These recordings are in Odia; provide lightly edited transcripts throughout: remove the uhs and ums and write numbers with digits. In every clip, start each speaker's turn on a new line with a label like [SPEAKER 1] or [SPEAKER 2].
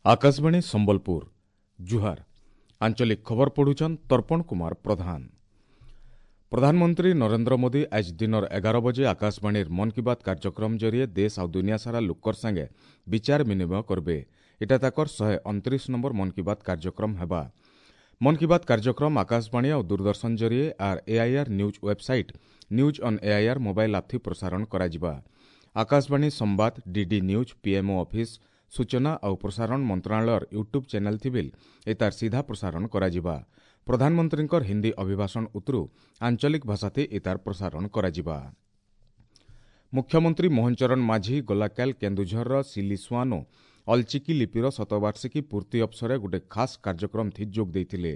[SPEAKER 1] ଆକାଶବାଣୀ ସମ୍ବଲପୁର, ଜୁହାର। ଆଞ୍ଚଳିକ ଖବର ପଢୁଛନ୍ ତର୍ପଣ କୁମାର ପ୍ରଧାନ। ପ୍ରଧାନମନ୍ତ୍ରୀ ନରେନ୍ଦ୍ର ମୋଦି ଆଜ ଦିନର 11 ବଜେ ଆକାଶବାଣୀର ମନ୍ କି ବାତ୍ କାର୍ଯ୍ୟକ୍ରମ ଜରିଏ ଦେଶ ଆଉ ଦୁନିଆ ସାରା ଲୋକର ସାଙ୍ଗେ ବିଚାର ବିନିମୟ କରବେ। ଏଟା ତାକର 129 ନମ୍ବର ମନ୍ କି ବାତ୍ କାର୍ଯ୍ୟକ୍ରମ ହେବା। ମନ୍ କି ବାତ୍ କାର୍ଯ୍ୟକ୍ରମ ଆକାଶବାଣୀ ଆଉ ଦୂରଦର୍ଶନ ଜରିଏ ଆର୍ AIR news website, news on AIR mobile app ଥି ପ୍ରସାରଣ କରାଯିବା। ଆକାଶବାଣୀ ସମ୍ବାଦ, ଡିଡି ନ୍ୟୁଜ୍, ପିଏମ୍ଓ ଅଫିସ୍, ସୂଚନା ଆଉ ପ୍ରସାରଣ ମନ୍ତ୍ରଣାଳୟର ୟୁଟ୍ୟୁବ୍ ଚ୍ୟାନେଲ୍ ଥିବିଲ୍ ଏତାର ସିଧା ପ୍ରସାରଣ କରାଯିବା। ପ୍ରଧାନମନ୍ତ୍ରୀଙ୍କର ହିନ୍ଦୀ ଅଭିଭାଷଣ ଉତରୁ ଆଞ୍ଚଳିକ ଭାଷାଥି ଏତାର ପ୍ରସାରଣ କରାଯିବା। ମୁଖ୍ୟମନ୍ତ୍ରୀ ମୋହନ ଚରଣ ମାଝୀ ଗଲାକାଲ କେନ୍ଦୁଝରର ସିଲିସୁଆନୋ ଅଲଚିକି ଲିପିର ଶତବାର୍ଷିକୀ ପୂର୍ତ୍ତି ଅବସରେ ଗୋଟେ ଖାସ୍ କାର୍ଯ୍ୟକ୍ରମ ଥି ଯୋଗ ଦେଇଥିଲେ।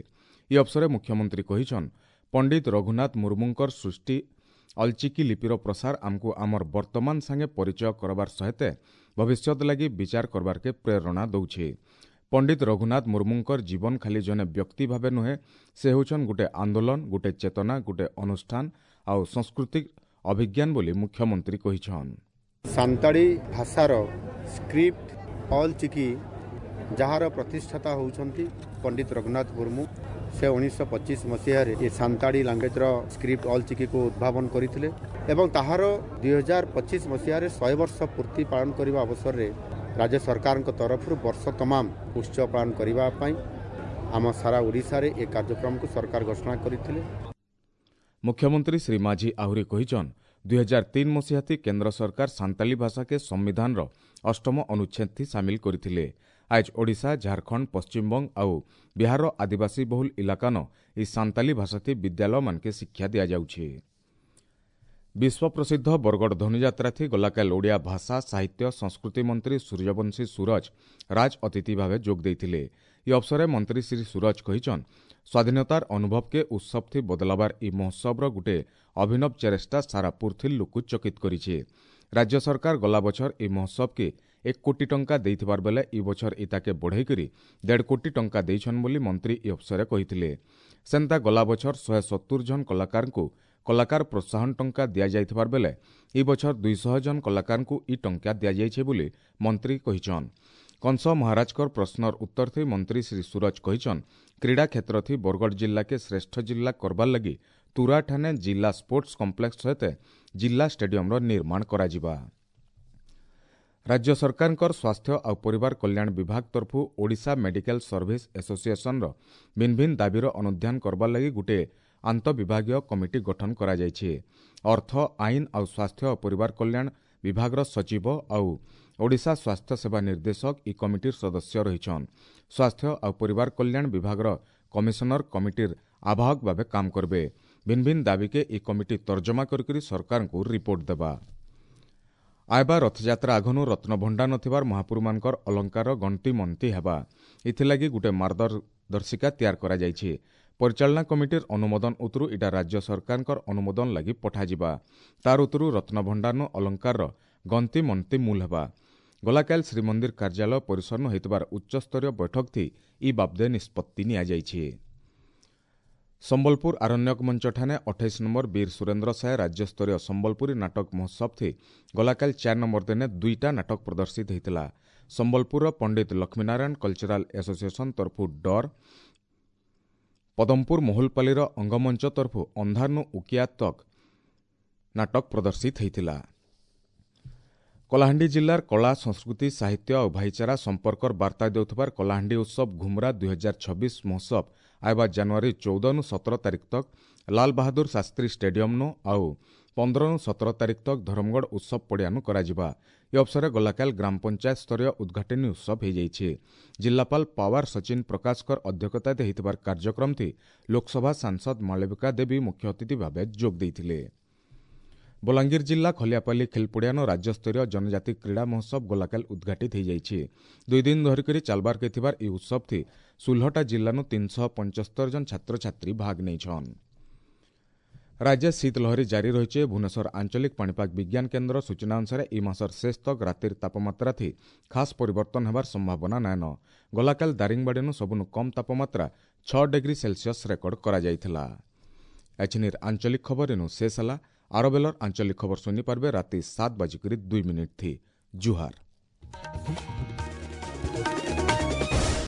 [SPEAKER 1] ଇ ଅବସରେ ମୁଖ୍ୟମନ୍ତ୍ରୀ କହିଛନ୍, ପଣ୍ଡିତ ରଘୁନାଥ ମୁର୍ମୁଙ୍କର ସୃଷ୍ଟି ଅଲଚିକି ଲିପିର ପ୍ରସାର ଆମକୁ ଆମର ବର୍ତ୍ତମାନ ସାଙ୍ଗେ ପରିଚୟ କରବାର ସହିତ ଭବିଷ୍ୟତ ଲାଗି ବିଚାର କରବାରକେ ପ୍ରେରଣା ଦଉଛେ। ପଣ୍ଡିତ ରଘୁନାଥ ମୁର୍ମୁଙ୍କର ଜୀବନ ଖାଲି ଜଣେ ବ୍ୟକ୍ତି ଭାବେ ନୁହେଁ, ସେ ହେଉଛନ୍ ଗୋଟେ ଆନ୍ଦୋଳନ, ଗୋଟେ ଚେତନା, ଗୋଟେ ଅନୁଷ୍ଠାନ ଆଉ ସାଂସ୍କୃତିକ ଅଭିଜ୍ଞାନ ବୋଲି ମୁଖ୍ୟମନ୍ତ୍ରୀ କହିଛନ୍।
[SPEAKER 2] ସାନ୍ତାଳୀ ଭାଷାର ସ୍କ୍ରିପ୍ଟ ଅଲ୍ ଚିକି, ଯାହାର ପ୍ରତିଷ୍ଠାତା ହେଉଛନ୍ତି ପଣ୍ଡିତ ରଘୁନାଥ ମୁର୍ମୁ, ସେ 1925 ମସିହାରେ ଏ ସାନ୍ତାଳୀ ଲାଙ୍ଗୁଏଜର ସ୍କ୍ରିପ୍ଟ ଅଲ୍ ଚିକିକୁ ଉଦ୍ଭାବନ କରିଥିଲେ ଏବଂ ତାହାର 2025 ମସିହାରେ 100 ବର୍ଷ ପୂର୍ତ୍ତି ପାଳନ କରିବା ଅବସରରେ ରାଜ୍ୟ ସରକାରଙ୍କ ତରଫରୁ ବର୍ଷ ତମାମ ଉତ୍ସବ ପାଳନ କରିବା ପାଇଁ ଆମ ସାରା ଓଡ଼ିଶାରେ ଏ କାର୍ଯ୍ୟକ୍ରମକୁ ସରକାର ଘୋଷଣା କରିଥିଲେ।
[SPEAKER 1] ମୁଖ୍ୟମନ୍ତ୍ରୀ ଶ୍ରୀ ମାଝୀ ଆହୁରି କହିଛନ୍, 2003 ମସିହାଥି କେନ୍ଦ୍ର ସରକାର ସାନ୍ତାଳୀ ଭାଷାକେ ସମ୍ବିଧାନର ଅଷ୍ଟମ ଅନୁଚ୍ଛେଦଥି ସାମିଲ କରିଥିଲେ। ଆଜ ଓଡ଼ିଶା, ଝାଡ଼ଖଣ୍ଡ, ପଶ୍ଚିମବଙ୍ଗ ଆଉ ବିହାରର ଆଦିବାସୀ ବହୁଲ ଇଲାକାନ ଇ ସାନ୍ତାଳୀ ଭାଷାଥି ବିଦ୍ୟାଳୟମାନକେ ଶିକ୍ଷା ଦିଆଯାଉଛି। ବିଶ୍ୱପ୍ରସିଦ୍ଧ ବରଗଡ଼ ଧନୁଯାତ୍ରାଥି ଗଲାକାଲ ଓଡ଼ିଆ ଭାଷା, ସାହିତ୍ୟ, ସଂସ୍କୃତି ମନ୍ତ୍ରୀ ସୂର୍ଯ୍ୟବଂଶୀ ସୂରଜ ରାଜ ଅତିଥି ଭାବେ ଯୋଗ ଦେଇଥିଲେ। ଇ ଅବସରେ ମନ୍ତ୍ରୀ ଶ୍ରୀ ସୂରଜ କହିଛନ୍, ସ୍ୱାଧୀନତାର ଅନୁଭବକେ ଉତ୍ସବଥି ବଦଲାବାର ଇ ମହୋତ୍ସବର ଗୁଟେ ଅଭିନବ ଚେଷ୍ଟା ସାରା ପୃଥିବୀ ଲୋକକୁ ଚକିତ କରିଛେ। ରାଜ୍ୟ ସରକାର ଗଲା ବଛର ଇ ମହୋତ୍ସବକେ 1 କୋଟି ଟଙ୍କା ଦେଇଥିବାର ବେଲେ ଇ ବଛର ଇତାକେ ବଢ଼େଇକରି 1.5 କୋଟି ଟଙ୍କା ଦେଇଛନ୍ ବୋଲି ମନ୍ତ୍ରୀ ଇ ଅବସରେ କହିଥିଲେ। ସେନ୍ତା ଗଲା ବଛର 170 ଜଣ କଳାକାରଙ୍କୁ କଳାକାର ପ୍ରୋତ୍ସାହନ ଟଙ୍କା ଦିଆଯାଇଥିବାର ବେଲେ ଇ ବଛର 200 ଜଣ କଳାକାରଙ୍କୁ ଇ ଟଙ୍କା ଦିଆଯାଇଛି ବୋଲି ମନ୍ତ୍ରୀ କହିଛନ୍। କଂସ ମହାରାଜଙ୍କର ପ୍ରଶ୍ନର ଉତ୍ତର ଥି ମନ୍ତ୍ରୀ ଶ୍ରୀ ସୂରଜ କହିଛନ୍, କ୍ରୀଡ଼ା କ୍ଷେତ୍ରଥି ବରଗଡ଼ ଜିଲ୍ଲାକେ ଶ୍ରେଷ୍ଠ ଜିଲ୍ଲା କରବାର୍ ଲାଗି ତୁରାଠାନେ ଜିଲ୍ଲା ସ୍ପୋର୍ଟସ କମ୍ପ୍ଲେକ୍ସ ସହିତ ଜିଲ୍ଲା ଷ୍ଟାଡିୟମର ନିର୍ମାଣ କରାଯିବା। ରାଜ୍ୟ ସରକାରଙ୍କର ସ୍ୱାସ୍ଥ୍ୟ ଆଉ ପରିବାର କଲ୍ୟାଣ ବିଭାଗ ତରଫରୁ ଓଡ଼ିଶା ମେଡିକାଲ ସର୍ଭିସ ଆସୋସିଏସନର ଭିନ୍ନ ଭିନ୍ନ ଦାବିର ଅନୁଧ୍ୟାନ କରବାର୍ ଲାଗି ଗୋଟିଏ ଆନ୍ତଃବିଭାଗୀୟ କମିଟି ଗଠନ କରାଯାଇଛି। ଅର୍ଥ, ଆଇନ ଆଉ ସ୍ୱାସ୍ଥ୍ୟ ଓ ପରିବାର କଲ୍ୟାଣ ବିଭାଗର ସଚିବ ଆଉ ଓଡ଼ିଶା ସ୍ୱାସ୍ଥ୍ୟ ସେବା ନିର୍ଦ୍ଦେଶକ ଇ କମିଟିର ସଦସ୍ୟ ରହିଛନ୍। ସ୍ୱାସ୍ଥ୍ୟ ଆଉ ପରିବାର କଲ୍ୟାଣ ବିଭାଗର କମିଶନର କମିଟିର ଆବାହକ ଭାବେ କାମ କରିବେ। ଭିନ୍ନ ଭିନ୍ନ ଦାବିକେ ଇ କମିଟି ତର୍ଜମା କରିକରି ସରକାରଙ୍କୁ ରିପୋର୍ଟ ଦେବା। ଆଇବା ରଥଯାତ୍ରା ଆଘନୁ ରତ୍ନଭଣ୍ଡାର ନଥିବାର ମହାପୁରୁମାନଙ୍କର ଅଳଙ୍କାର ଗଣତି ମନ୍ତି ହେବା। ଏଥିଲାଗି ଗୋଟେ ମାର୍ଗଦର୍ଶିକା ତିଆରି କରାଯାଇଛି। ପରିଚାଳନା କମିଟିର ଅନୁମୋଦନ ଉତରୁ ଇଟା ରାଜ୍ୟ ସରକାରଙ୍କର ଅନୁମୋଦନ ଲାଗି ପଠାଯିବା। ତାର ଉତରୁ ରତ୍ନଭଣ୍ଡାରନୁ ଅଳଙ୍କାରର ଗଣତି ମନ୍ତି ମୂଲ ହେବା। ଗଲାକାଲ ଶ୍ରୀମନ୍ଦିର କାର୍ଯ୍ୟାଳୟ ପରିସରନୁ ହୋଇଥିବାର ଉଚ୍ଚସ୍ତରୀୟ ବୈଠକ ଥି ଇ ବାବଦେ ନିଷ୍ପତ୍ତି ନିଆଯାଇଛି। ସମ୍ବଲପୁର ଆରଣ୍ୟକ ମଞ୍ଚଠାନେ 28 ନମ୍ବର ବୀର ସୁରେନ୍ଦ୍ର ସାଏ ରାଜ୍ୟସ୍ତରୀୟ ସମ୍ବଲପୁରୀ ନାଟକ ମହୋତ୍ସବ ଥି ଗଲାକାଲ 4 ନମ୍ବର ଦିନେ 2ଟା ନାଟକ ପ୍ରଦର୍ଶିତ ହୋଇଥିଲା। ସମ୍ବଲପୁରର ପଣ୍ଡିତ ଲକ୍ଷ୍ମୀନାରାୟଣ କଲଚରାଲ ଆସୋସିଏସନ ତରଫୁ ଡର, ପଦମପୁର ମହୁଲପାଲିର ଅଙ୍ଗମଞ୍ଚ ତରଫୁ ଅନ୍ଧାରନୁ ଉକିଆ ତକ୍ ନାଟକ ପ୍ରଦର୍ଶିତ ହୋଇଥିଲା। କଳାହାଣ୍ଡି ଜିଲ୍ଲାର କଳା, ସଂସ୍କୃତି, ସାହିତ୍ୟ ଆଉ ଭାଇଚାରା ସମ୍ପର୍କର ବାର୍ତ୍ତା ଦେଉଥିବାର କଳାହାଣ୍ଡି ଉତ୍ସବ ଘୁମରା 2026 ମହୋତ୍ସବ ଆଇବା ଜାନୁଆରୀ 14ନୁ 17 ତାରିଖ ତକ୍ ଲାଲ ବାହାଦୁର ଶାସ୍ତ୍ରୀ ଷ୍ଟାଡିୟମନୁ ଆଉ 15ନୁ 17 ତାରିଖ ତକ୍ ଧରମଗଡ଼ ଉତ୍ସବ ପଡ଼ିଆନୁ କରାଯିବା। ଏ ଅବସରରେ ଗଲାକାଲ ଗ୍ରାମ ପଞ୍ଚାୟତ ସ୍ତରୀୟ ଉଦ୍ଘାଟନୀ ଉତ୍ସବ ହୋଇଯାଇଛି। ଜିଲ୍ଲାପାଳ ପାୱାର ସଚିନ ପ୍ରକାଶଙ୍କର ଅଧ୍ୟକ୍ଷତାରେ ହୋଇଥିବାର କାର୍ଯ୍ୟକ୍ରମଥି ଲୋକସଭା ସାଂସଦ ମାଳବିକା ଦେବୀ ମୁଖ୍ୟ ଅତିଥି ଭାବେ ଯୋଗ ଦେଇଥିଲେ। ବଲାଙ୍ଗୀର ଜିଲ୍ଲା ଖଲିଆପାଲି ଖେଲପଡ଼ିଆନ ରାଜ୍ୟସ୍ତରୀୟ ଜନଜାତି କ୍ରୀଡ଼ା ମହୋତ୍ସବ ଗଲାକାଲ ଉଦ୍ଘାଟିତ ହୋଇଯାଇଛି। 2 ଦିନ ଧରିକରି ଚାଲବାରକେ ଥିବାର ଏହି ଉତ୍ସବଥି 16ଟା ଜିଲ୍ଲାନୁ 375 ଜଣ ଛାତ୍ରଛାତ୍ରୀ ଭାଗ ନେଇଛନ୍। ରାଜ୍ୟ ଶୀତଲହରୀ ଜାରି ରହିছে। ଭୁବନେଶ୍ୱର ଆଞ୍ଚଳିକ ପାଣିପାଗ ବିଜ୍ଞାନ କେନ୍ଦ୍ର ସୂଚନା ଅନୁସାରେ ଇ ମାସର ଶେଷ ତକ୍ ରାତିର ତାପମାତ୍ରା ଥି ଖାସ୍ ପରିବର୍ତ୍ତନ ହେବାର ସମ୍ଭାବନା ନାଇନ। ଗଲାକାଲ ଦାରିଙ୍ଗବାଡ଼ିନୁ ସବୁନୁ କମ୍ ତାପମାତ୍ରା 6 ଡିଗ୍ରୀ ସେଲସିୟସ୍ ରେକର୍ଡ କରାଯାଇଥିଲା। ଏଛିନିର ଆଞ୍ଚଳିକ ଖବର ଏନୁ ଶେଷ ହେଲା। ଆର ବେଲର ଆଞ୍ଚଳିକ ଖବର ଶୁଣିପାରିବେ ରାତି 7:02 ଥି। ଜୁହାର।